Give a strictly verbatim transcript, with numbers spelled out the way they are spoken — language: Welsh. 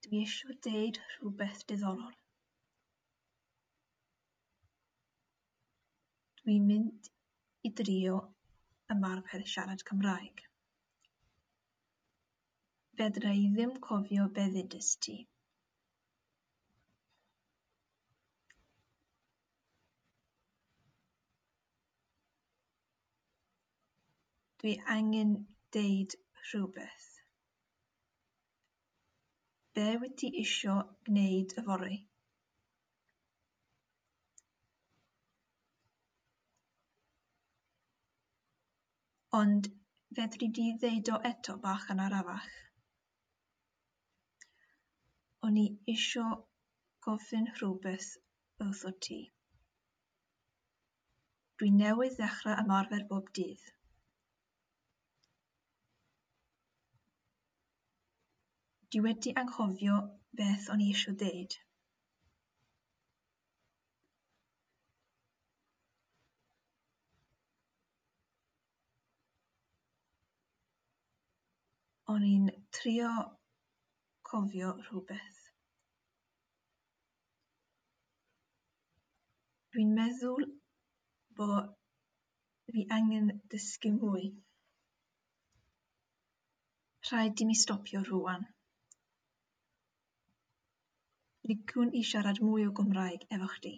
Dwi isio deud rhywbeth diddorol. Dwi'n mynd i drio ymarfer siarad Cymraeg. Fedra i ddim cofio be ddudest ti. Dwi angen deud rhywbeth. Be wyt ti isio gwneud yfory? Ond fedri di ddeud o eto bach yn arafach? O'n i isio gofyn rhywbeth wrthot ti. Dwi newydd ddechrau ymarfer bob dydd. Dwi wedi anghofio beth o'n i isio deud. O'n i'n trio cofio rhywbeth. Dwi'n meddwl bo' fi angen dysgu mwy. Rhaid i mi stopio rŵan. Liciwn i siarad mwy o Gymraeg efo chdi.